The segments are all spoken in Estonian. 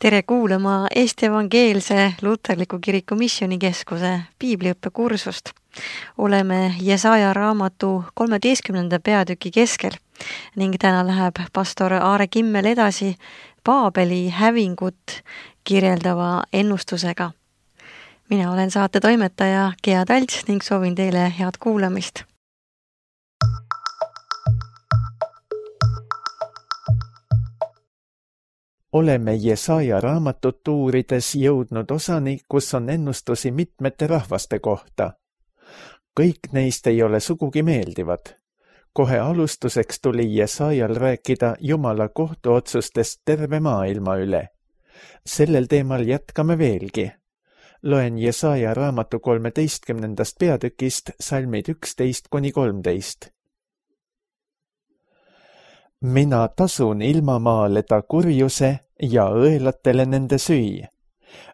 Tere kuulama Eesti Evangeelse Luterliku Kiriku Missioonikeskuse piibliõppekursust. Oleme Jesaja raamatu 13. peatüki keskel ning täna läheb pastor Aare Kimmel edasi Paabeli hävingut kirjeldava ennustusega. Mina olen saate toimetaja Gea Talts ning soovin teile head kuulamist. Oleme Jesaja raamatut uurides jõudnud osani, kus on ennustusi mitmete rahvaste kohta. Kõik neist ei ole sugugi meeldivad. Kohe alustuseks tuli Jesajal rääkida Jumala kohtuotsustest terve maailma üle. Sellel teemal jätkame veelgi. Loen Jesaja raamatu 13. peatükist salmid 11-13. Mina tasun ilmamaale ta kurjuse ja õelatele nende süü.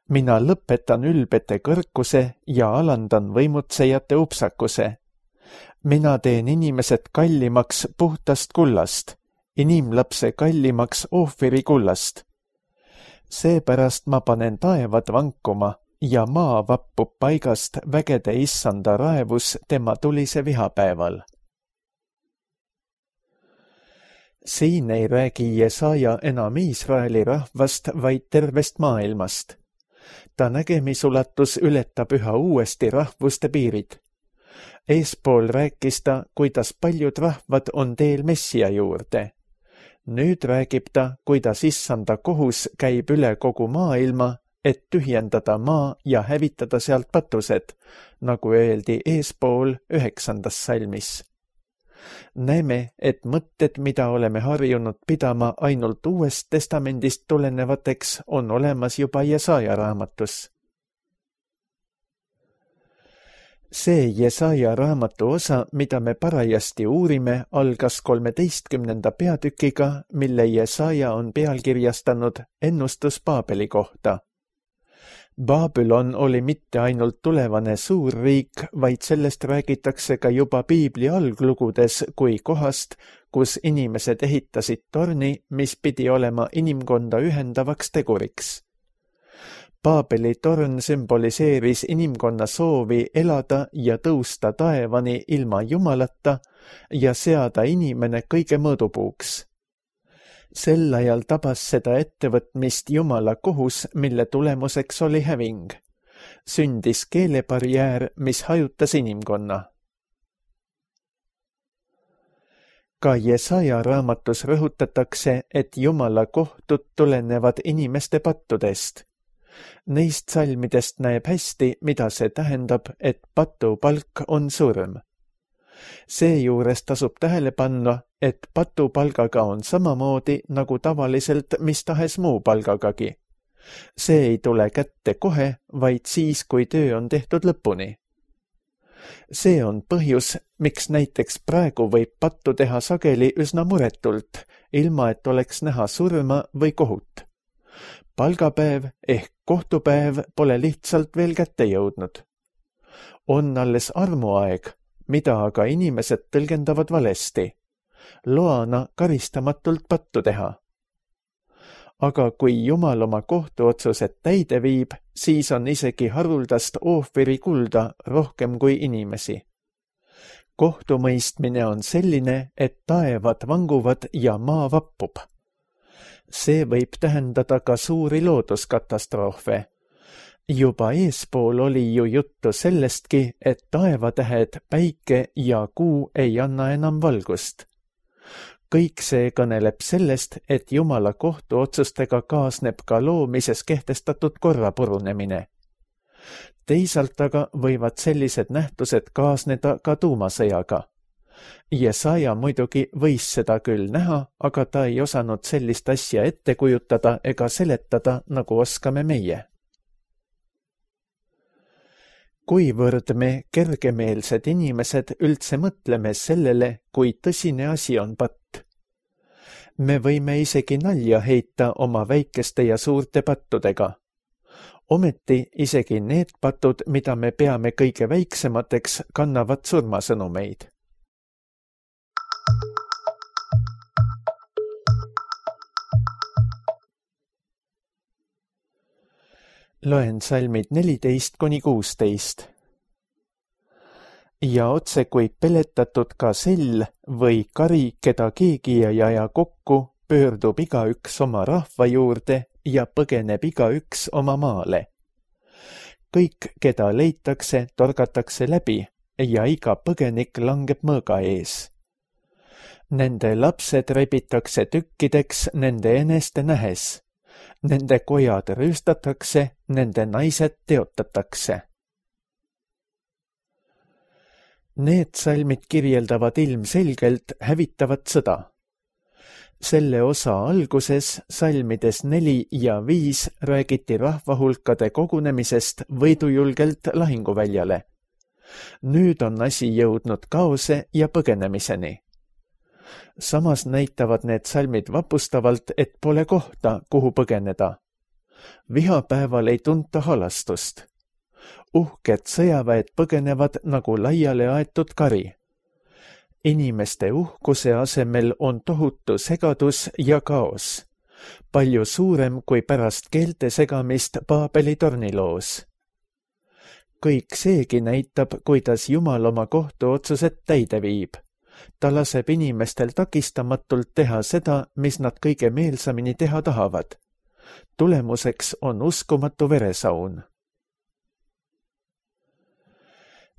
Mina lõpetan ülbete kõrkuse ja alandan võimutsejate upsakuse. Mina teen inimesed kallimaks puhtast kullast, inimlapse kallimaks ohviri kullast. Seepärast ma panen taevad vankuma ja maa vappub paigast vägede issanda raevus tema tulise vihapäeval. Siin ei räägi Jesaja enam Iisraeli rahvast, vaid tervest maailmast. Ta nägemisulatus ületab üha uuesti rahvuste piirid. Eespool rääkis ta, kuidas paljud rahvad on teel Messia juurde. Nüüd räägib ta, kuidas issanda kohus käib üle kogu maailma, et tühjendada maa ja hävitada sealt patused, nagu öeldi eespool 9. salmis. Näeme, et mõtted, mida oleme harjunud pidama ainult Uuest Testamendist tulenevateks, on olemas juba Jesaja raamatus. See Jesaja raamatu osa, mida me parajasti uurime, algas 13. peatükiga, mille Jesaja on pealkirjastanud ennustus Paabeli kohta. Babylon oli mitte ainult tulevane suurriik, vaid sellest räägitakse ka juba piibli alglugudes kui kohast, kus inimesed ehitasid torni, mis pidi olema inimkonda ühendavaks teguriks. Paabeli torn sümboliseeris inimkonna soovi elada ja tõusta taevani ilma Jumalata ja seada inimene kõige mõõdupuuks. Sel ajal tabas seda ettevõtmist Jumala kohus, mille tulemuseks oli häving. Sündis keelebarjäär, mis hajutas inimkonna. Ka Jesaja raamatus rõhutatakse, et Jumala kohtud tulenevad inimeste pattudest. Neist salmidest näeb hästi, mida see tähendab, et patu palk on surm. Seejuures tasub tähele panna, et patupalgaga on samamoodi nagu tavaliselt mis tahes muu palgagagi. See ei tule kätte kohe, vaid siis, kui töö on tehtud lõpuni. See on põhjus, miks näiteks praegu võib pattu teha sageli üsna muretult, ilma et oleks näha surma või kohut. Palgapäev ehk kohtupäev pole lihtsalt veel kätte jõudnud. On alles armuaeg, mida aga inimesed tõlgendavad valesti. Loana karistamatult pattu teha. Aga kui Jumal oma kohtuotsused täide viib, siis on isegi haruldast ohviri kulda rohkem kui inimesi. Kohtumõistmine on selline, et taevad vanguvad ja maa vappub. See võib tähendada ka suuri looduskatastroofe. Juba eespool oli ju juttu sellestki, et taevatähed, päike ja kuu ei anna enam valgust. Kõik see kõneleb sellest, et Jumala kohtuotsustega kaasneb ka loomises kehtestatud korra purunemine. Teisalt aga võivad sellised nähtused kaasneda ka tuumasõjaga. Jesaja muidugi võis seda küll näha, aga ta ei osanud sellist asja ette kujutada ega seletada, nagu oskame meie. Kuivõrd me kergemeelsed inimesed üldse mõtleme sellele, kui tõsine asi on patt. Me võime isegi nalja heita oma väikeste ja suurte pattudega. Ometi isegi need patud, mida me peame kõige väiksemateks, kannavad surmasõnumeid. Loen salmid 14–16. Ja otse kui peletatud gasell või kari, keda keegi ei aja kokku, pöördub igaüks oma rahva juurde ja põgeneb igaüks oma maale. Kõik, keda leitakse, torgatakse läbi ja iga põgenik langeb mõõga ees. Nende lapsed rebitakse tükkideks nende eneste nähes. Nende kojad rüüstatakse, nende naised teotatakse. Need salmid kirjeldavad ilmselgelt hävitavat sõda. Selle osa alguses, salmides 4 ja 5, räägiti rahvahulkade kogunemisest võidujulgelt lahinguväljale. Nüüd on asi jõudnud kaose ja põgenemiseni. Samas näitavad need salmid vapustavalt, et pole kohta, kuhu põgeneda. Vihapäeval ei tunta halastust. Uhked sõjaväed põgenevad nagu laiale aetud kari. Inimeste uhkuse asemel on tohutu segadus ja kaos. Palju suurem kui pärast keelte segamist Paabeli torniloos. Kõik seegi näitab, kuidas Jumal oma kohtuotsused täide viib. Ta laseb inimestel takistamatult teha seda, mis nad kõige meelsamini teha tahavad. Tulemuseks on uskumatu veresaun.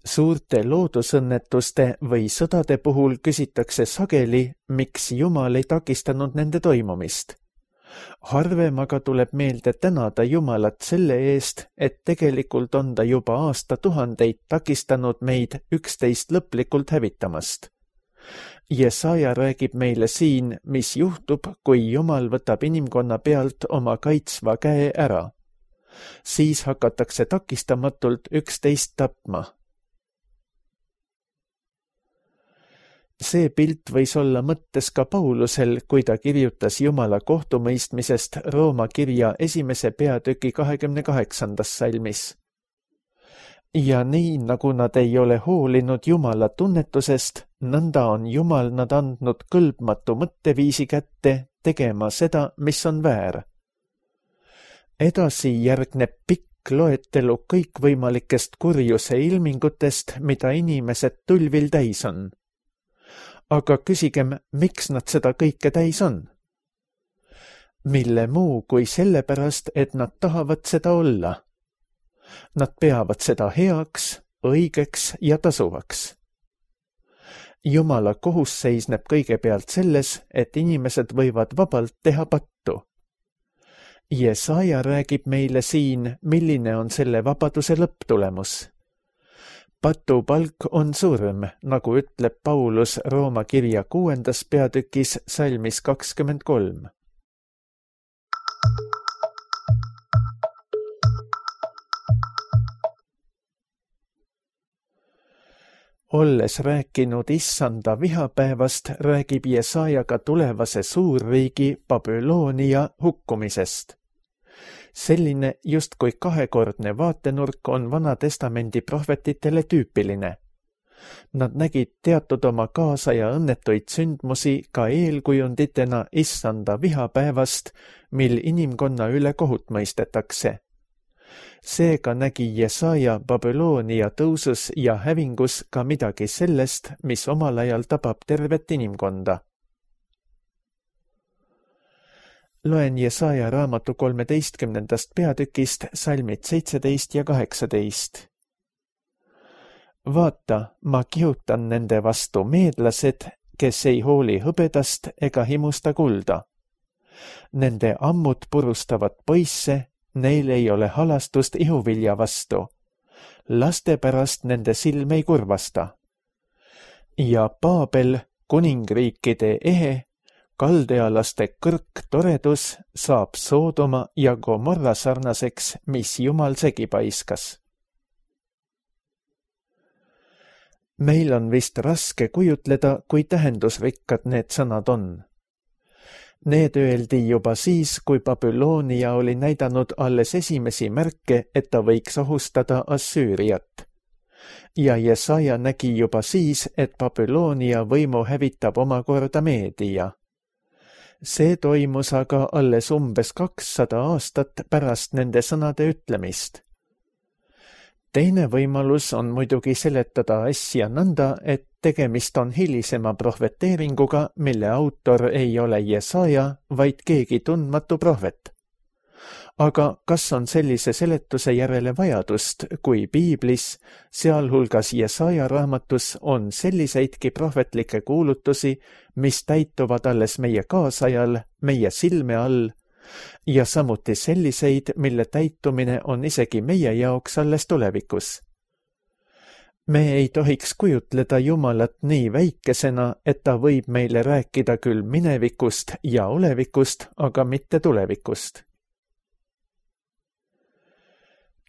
Suurte loodusõnnetuste või sõdade puhul küsitakse sageli, miks Jumal ei takistanud nende toimumist. Harvem aga tuleb meelde tänada Jumalat selle eest, et tegelikult on ta juba aastatuhandeid takistanud meid üksteist lõplikult hävitamast. Jesaja räägib meile siin, mis juhtub, kui Jumal võtab inimkonna pealt oma kaitsva käe ära. Siis hakatakse takistamatult üksteist tapma. See pilt võis olla mõttes ka Paulusel, kui ta kirjutas Jumala kohtumõistmisest Rooma kirja 1. peatüki 28. salmis. Ja nii, nagu nad ei ole hoolinud Jumala tunnetusest, nõnda on Jumal nad andnud kõlbmatu mõtteviisi kätte tegema seda, mis on väär. Edasi järgneb pikk loetelu kõikvõimalikest kurjuse ilmingutest, mida inimesed tulvil täis on. Aga küsigem, miks nad seda kõike täis on? Mille muu kui sellepärast, et nad tahavad seda olla. Nad peavad seda heaks, õigeks ja tasuvaks. Jumala kohus seisneb kõigepealt selles, et inimesed võivad vabalt teha pattu. Jesaja räägib meile siin, milline on selle vabaduse lõpptulemus. Patupalk on surm, nagu ütleb Paulus Rooma kirja 6. peatükis salmis 23. Olles rääkinud issanda vihapäevast, räägib Jesaja ka tulevase suurriigi Babyloonia hukkumisest. Selline justkui kahekordne vaatenurk on Vana Testamendi prohvetitele tüüpiline. Nad nägid teatud oma kaasaja õnnetuid sündmusi ka eelkujunditena issanda vihapäevast, mil inimkonna üle kohut mõistetakse. Seega nägi Jesaja Babyloonia tõusus ja hävingus ka midagi sellest, mis omal ajal tabab tervet inimkonda. Loen Jesaja raamatu 13. peatükist salmid 17 ja 18. Vaata, ma kihutan nende vastu meedlased, kes ei hooli hõbedast ega himusta kulda. Nende ammud purustavad poisse, neil ei ole halastust ihuvilja vastu. Laste pärast nende silm ei kurvasta. Ja Paabel, kuningriikide ehe, kaldealaste kõrk toredus saab Soodoma ja Gomorra sarnaseks, mis Jumal segi paiskas. Meil on vist raske kujutleda, kui tähendusrikkad need sõnad on. Need öeldi juba siis, kui Babyloonia oli näidanud alles esimesi märke, et ta võiks ohustada Assüüriat. Ja Jesaja nägi juba siis, et Babyloonia võimu hävitab omakorda Meedia. See toimus aga alles umbes 200 aastat pärast nende sõnade ütlemist. Teine võimalus on muidugi seletada asja nõnda, et tegemist on hilisema prohveteeringuga, mille autor ei ole Jesaja, vaid keegi tundmatu prohvet. Aga kas on sellise seletuse järele vajadust, kui piiblis, sealhulgas Jesaja raamatus, on selliseidki prohvetlikke kuulutusi, mis täituvad alles meie kaasajal, meie silme all, ja samuti selliseid, mille täitumine on isegi meie jaoks alles tulevikus? Me ei tohiks kujutleda Jumalat nii väikesena, et ta võib meile rääkida küll minevikust ja olevikust, aga mitte tulevikust.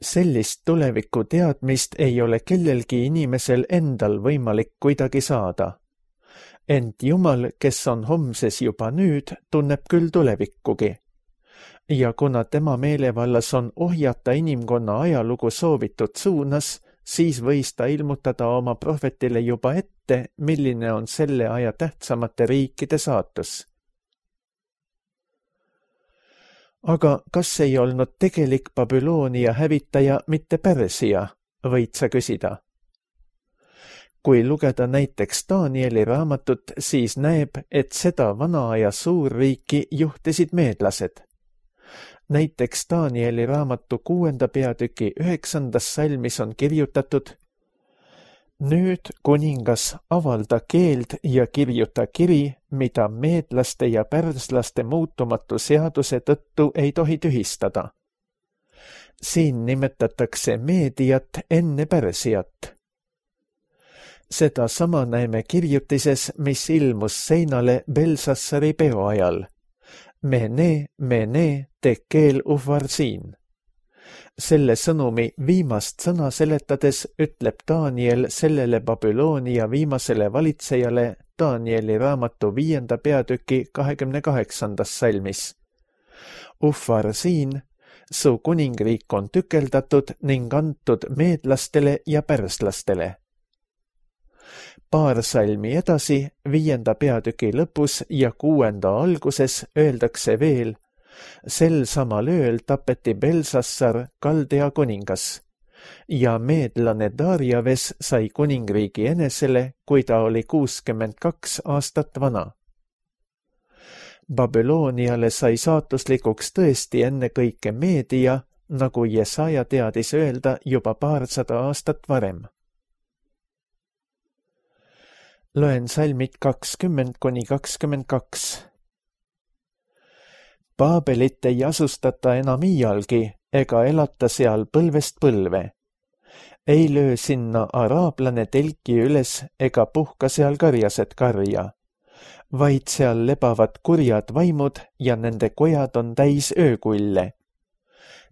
Sellist tuleviku teadmist ei ole kellelgi inimesel endal võimalik kuidagi saada. Ent Jumal, kes on homses juba nüüd, tunneb küll tulevikkugi. Ja kuna tema meelevallas on ohjata inimkonna ajalugu soovitud suunas, siis võis ta ilmutada oma prohvetile juba ette, milline on selle aja tähtsamate riikide saatus. Aga kas ei olnud tegelik Babyloonia hävitaja mitte Pärsia, võid sa küsida? Kui lugeda näiteks Danieli raamatut, siis näeb, et seda vana aja suurriiki juhtisid meedlased. Näiteks Danieli raamatu 6. peatüki 9. salmis on kirjutatud: Nüüd, kuningas, avalda keeld ja kirjuta kiri, mida meedlaste ja pärslaste muutumatu seaduse tõttu ei tohi tühistada. Siin nimetatakse Meediat enne Pärsiat. Seda sama näeme kirjutises, mis ilmus seinale Belsassari peo ajal. Mene, mene, tekel ufarsin. Selle sõnumi viimast sõna seletades ütleb Daniel sellele Babyloonia viimasele valitsejale Danieli raamatu 5. peatüki 28. salmis. Ufarsin, su kuningriik on tükeldatud ning antud meedlastele ja pärslastele. Paar salmi edasi, 5. peatüki lõpus ja 6. alguses öeldakse veel: sel samal ööl tapeti Belsassar, Kaldea kuningas, ja meedlane Darjaves sai kuningriigi enesele, kui ta oli 62 aastat vana. Babyloniale sai saatuslikuks tõesti ennekõike Meedia, nagu Jesaja teadis öelda juba paarsada aastat varem. Loen salmid 20–22. Baabelit ei asustata enam iialgi ega elata seal põlvest põlve. Ei löö sinna araablane telki üles ega puhka seal karjased karja, vaid seal lebavad kurjad vaimud ja nende kojad on täis öökulle.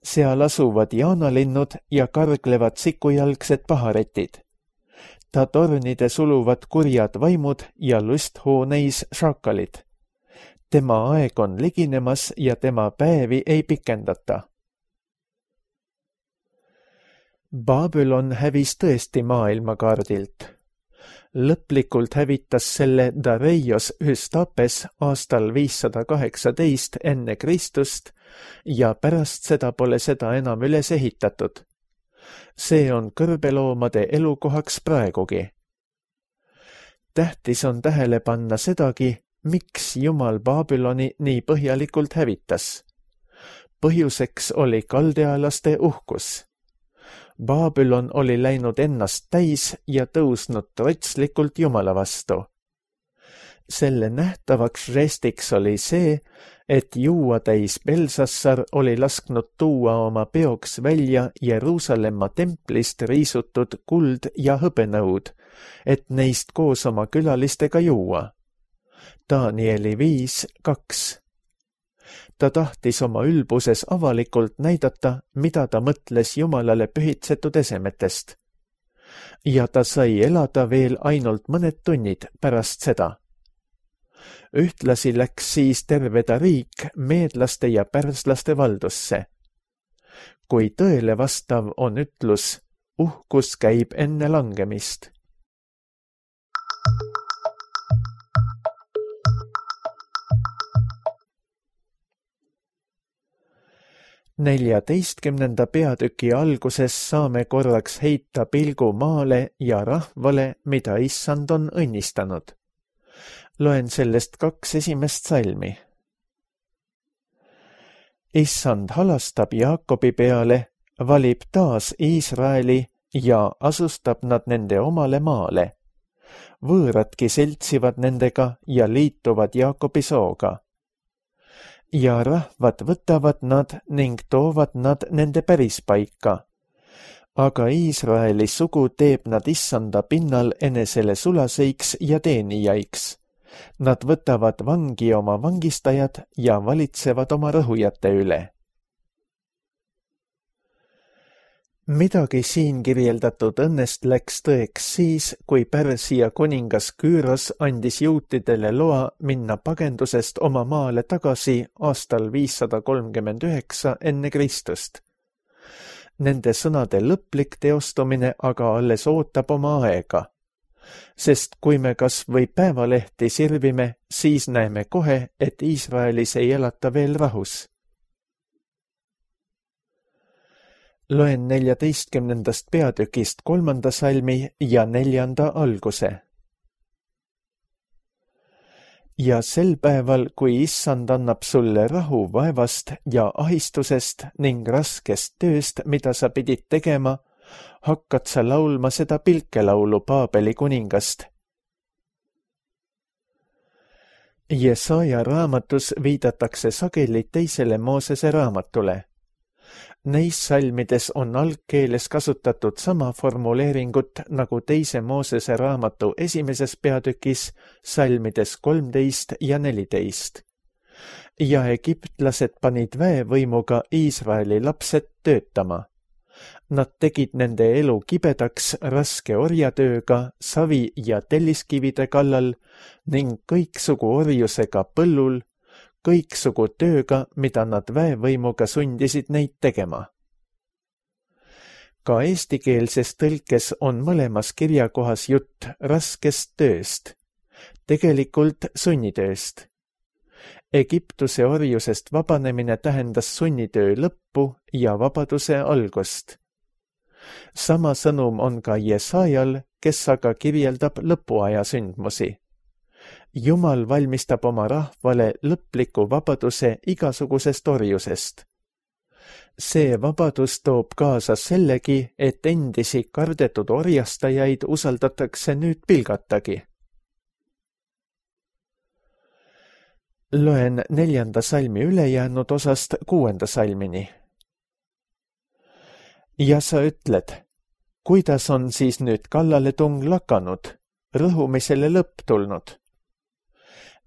Seal asuvad jaanalinnud ja karglevad sikujalgsed paharetid. Ta tornide suluvad kurjad vaimud ja lusthooneis šakalid. Tema aeg on liginemas ja tema päevi ei pikendata. Babylon hävis tõesti maailmakaardilt. Lõplikult hävitas selle Dareios Hüstapes aastal 518 enne Kristust ja pärast seda pole seda enam üles ehitatud. See on kõrbeloomade elukohaks praegugi. Tähtis on tähele panna sedagi, miks Jumal Babyloni nii põhjalikult hävitas. Põhjuseks oli kaldealaste uhkus. Babylon oli läinud ennast täis ja tõusnud trotslikult Jumala vastu. Selle nähtavaks žestiks oli see, et juua täis Belsassar oli lasknud tuua oma peoks välja Jeruusalemma templist riisutud kuld ja hõbenõud, et neist koos oma külalistega juua. Danieli 5:2. Ta tahtis oma ülbuses avalikult näidata, mida ta mõtles Jumalale pühitsetud esemetest. Ja ta sai elada veel ainult mõned tunnid pärast seda. Ühtlasi läks siis terve ta riik meedlaste ja pärslaste valdusse. Kui tõele vastav on ütlus, uhkus käib enne langemist. 14. peatüki alguses saame korraks heita pilgu maale ja rahvale, mida issand on õnnistanud. Loen sellest 2 esimest salmi. Issand halastab Jaakobi peale, valib taas Iisraeli ja asustab nad nende omale maale. Võõradki seltsivad nendega ja liituvad Jaakobi sooga. Ja rahvad võtavad nad ning toovad nad nende pärispaika. Aga Iisraeli sugu teeb nad issanda pinnal enesele sulaseiks ja teenijaiks. Nad võtavad vangi oma vangistajad ja valitsevad oma rõhujate üle. Midagi siin kirjeldatud õnnest läks tõeks siis, kui Pärsia kuningas Küüros andis juutidele loa minna pagendusest oma maale tagasi aastal 539 enne Kristust. Nende sõnade lõplik teostumine aga alles ootab oma aega. Sest kui me kas või päevalehti sirvime, siis näeme kohe, et Iisraelis ei elata veel rahus. Loen 14. peatükist 3. salmi ja 4. alguse. Ja sel päeval, kui issand annab sulle rahu vaevast ja ahistusest ning raskest tööst, mida sa pidid tegema, hakkad sa laulma seda pilkelaulu Paabeli kuningast. Jesaja raamatus viidatakse sageli teisele Moosese raamatule. Neis salmides on algkeeles kasutatud sama formuleeringut nagu teise Moosese raamatu 1. peatükis salmides 13 ja 14. Ja egiptlased panid väevõimuga Iisraeli lapsed töötama. Nad tegid nende elu kibedaks raske orjatööga, savi ja telliskivide kallal ning kõiksugu orjusega põllul, kõiksugu tööga, mida nad väevõimuga sundisid neid tegema. Ka eestikeelses tõlkes on mõlemas kirjakohas jutt raskest tööst, tegelikult sunnitööst. Egiptuse orjusest vabanemine tähendas sunnitöö lõppu ja vabaduse algust. Sama sõnum on ka Jesajal, kes aga kirjeldab lõpuaja sündmusi. Jumal valmistab oma rahvale lõpliku vabaduse igasugusest orjusest. See vabadus toob kaasa sellegi, et endisi kardetud orjastajaid usaldatakse nüüd pilgatagi. Loen 4. salmi ülejäänud osast 6. salmini. Ja sa ütled, kuidas on siis nüüd kallaletung lakanud, rõhumisele lõpp tulnud?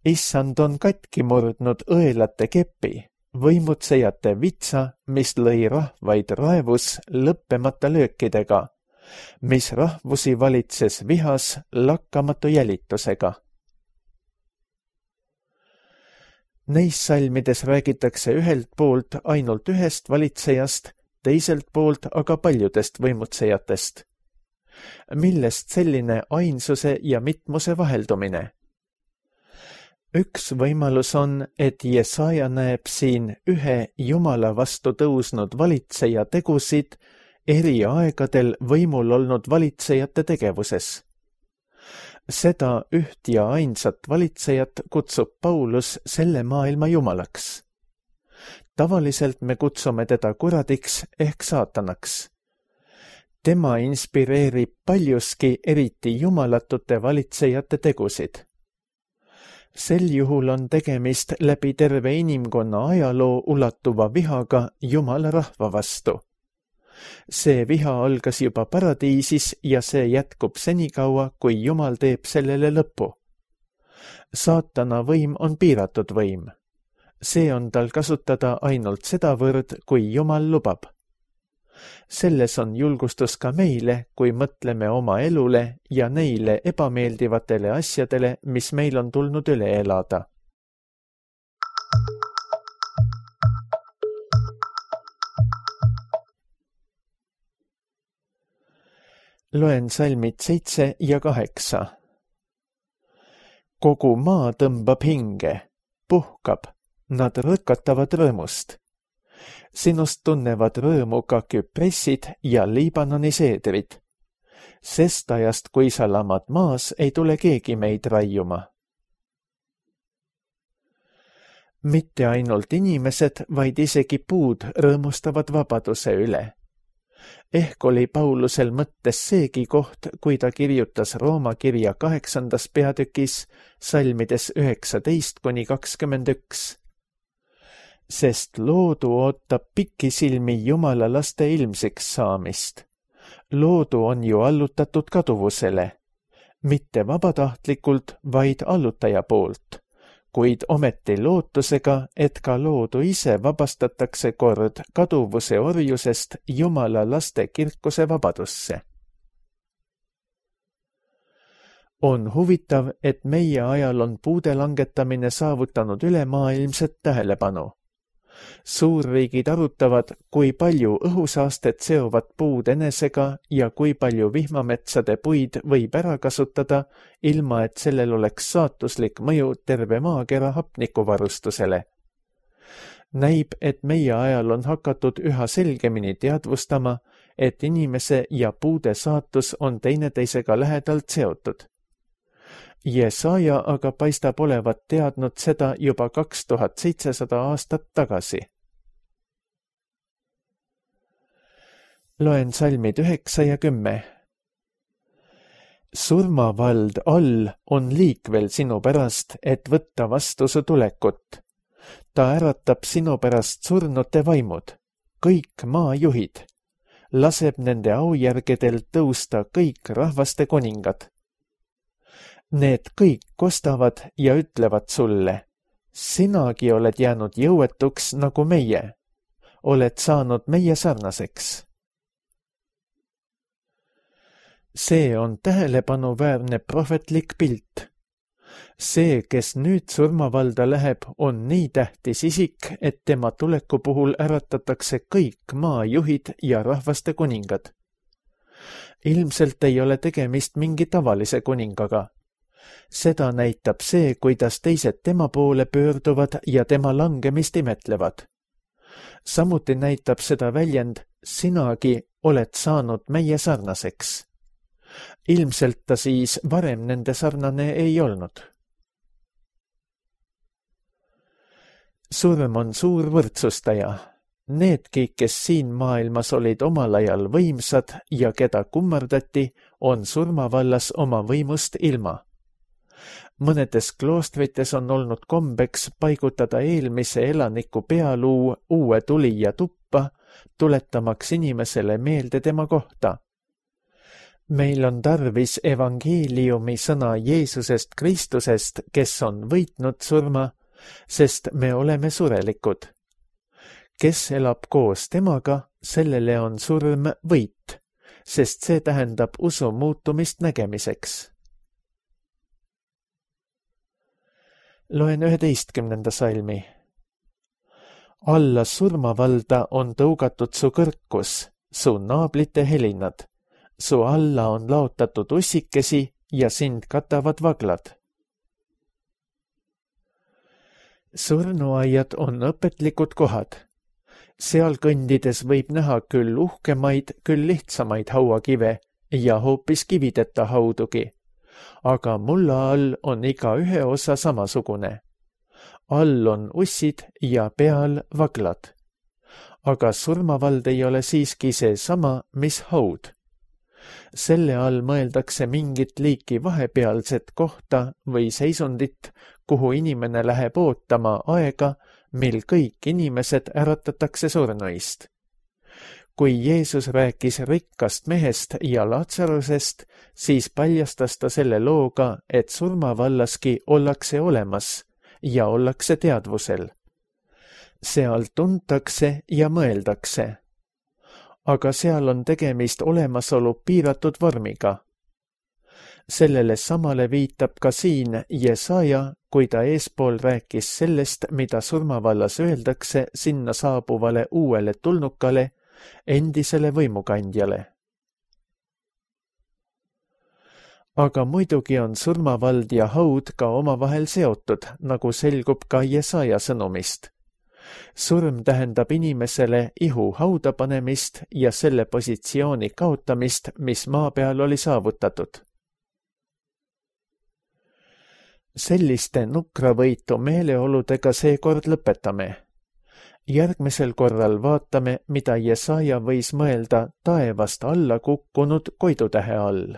Issand on katki murdnud õelate kepi, võimutsejate vitsa, mis lõi rahvaid raevus lõppemata löökidega, mis rahvusi valitses vihas lakkamatu jälitusega. Neis salmides räägitakse ühelt poolt ainult ühest valitsejast, teiselt poolt aga paljudest võimutsejatest. Millest selline ainsuse ja mitmuse vaheldumine? Üks võimalus on, et Jesaja näeb siin ühe Jumala vastu tõusnud valitseja tegusid eri aegadel võimul olnud valitsejate tegevuses. Seda üht ja ainsat valitsejat kutsub Paulus selle maailma jumalaks. Tavaliselt me kutsume teda kuradiks ehk saatanaks. Tema inspireerib paljuski eriti jumalatute valitsejate tegusid. Sel juhul on tegemist läbi terve inimkonna ajaloo ulatuva vihaga Jumala rahva vastu. See viha algas juba paradiisis ja see jätkub senikaua, kui Jumal teeb sellele lõppu. Saatana võim on piiratud võim. See on tal kasutada ainult sedavõrd, kui Jumal lubab. Selles on julgustus ka meile, kui mõtleme oma elule ja neile ebameeldivatele asjadele, mis meil on tulnud üle elada. Loen salmid 7 ja 8. Kogu maa tõmbab hinge, puhkab, nad rõkatavad rõõmust. Sinust tunnevad rõõmu ka küpressid ja Liibanoni seedrid. Sest ajast, kui sa lamad maas, ei tule keegi meid raiuma. Mitte ainult inimesed, vaid isegi puud rõõmustavad vabaduse üle. Ehk oli Paulusel mõttes seegi koht, kui ta kirjutas Rooma kirja 8. peatükis salmides 19-21. Sest loodu ootab pikisilmi Jumala laste ilmsiks saamist. Loodu on ju allutatud kaduvusele, mitte vabatahtlikult, vaid allutaja poolt, kuid ometi lootusega, et ka loodu ise vabastatakse kord kaduvuse orjusest Jumala laste kirkuse vabadusse. On huvitav, et meie ajal on puude langetamine saavutanud ülemaailmset tähelepanu. Suurriigid arutavad, kui palju õhusaastet seovad puud enesega ja kui palju vihmametsade puid võib ära kasutada, ilma et sellel oleks saatuslik mõju terve maakera hapnikuvarustusele. Näib, et meie ajal on hakatud üha selgemini teadvustama, et inimese ja puude saatus on teineteisega lähedalt seotud. Jesaja aga paistab olevat teadnud seda juba 2700 aastat tagasi. Loen salmid 9 ja 10. Surmavald all on liikvel sinu pärast, et võtta vastu su tulekut. Ta äratab sinu pärast surnute vaimud, kõik maajuhid. Laseb nende aujärgedel tõusta kõik rahvaste kuningad. Need kõik kostavad ja ütlevad sulle, sinagi oled jäänud jõuetuks nagu meie, oled saanud meie sarnaseks. See on tähelepanuväärne prohvetlik pilt. See, kes nüüd surmavalda läheb, on nii tähtis isik, et tema tuleku puhul äratatakse kõik maajuhid ja rahvaste kuningad. Ilmselt ei ole tegemist mingi tavalise kuningaga. Seda näitab see, kuidas teised tema poole pöörduvad ja tema langemist imetlevad. Samuti näitab seda väljend, sinagi oled saanud meie sarnaseks. Ilmselt ta siis varem nende sarnane ei olnud. Surm on suur võrdsustaja. Needki, kes siin maailmas olid omal ajal võimsad ja keda kummardati, on surmavallas oma võimust ilma. Mõnedes kloostrites on olnud kombeks paigutada eelmise elaniku pealuu uue tulija tuppa, tuletamaks inimesele meelde tema kohta. Meil on tarvis evangeeliumi sõna Jeesusest Kristusest, kes on võitnud surma, sest me oleme surelikud. Kes elab koos temaga, sellele on surm võit, sest see tähendab usu muutumist nägemiseks. Loen 11. salmi. Alla surmavalda on tõugatud su kõrkus, su naablite helinad. Su alla on laotatud ussikesi ja sind katavad vaglad. Surnuaiad on õpetlikud kohad. Seal kõndides võib näha küll uhkemaid, küll lihtsamaid hauakive ja hoopis kivideta haudugi. Aga mulla all on iga ühe osa samasugune. All on ussid ja peal vaglad. Aga surmavald ei ole siiski see sama, mis haud. Selle all mõeldakse mingit liiki vahepealset kohta või seisundit, kuhu inimene läheb ootama aega, mil kõik inimesed äratatakse surnuist. Kui Jeesus rääkis rikkast mehest ja Lazarusest, siis paljastas ta selle looga, et surmavallaski ollakse olemas ja ollakse teadvusel. Seal tuntakse ja mõeldakse. Aga seal on tegemist olemasolu piiratud vormiga. Sellele samale viitab ka siin Jesaja, kui ta eespool rääkis sellest, mida surmavallas öeldakse sinna saabuvale uuele tulnukale, endisele võimukandjale. Aga muidugi on surmavald ja haud ka omavahel seotud, nagu selgub ka Jesaja sõnumist. surm tähendab inimesele ihu hauda panemist ja selle positsiooni kaotamist, mis maa peal oli saavutatud. Selliste nukravõitu meeleoludega seekord lõpetame. Järgmisel korral vaatame, mida Jesaja võis mõelda taevast alla kukkunud koidutähe all.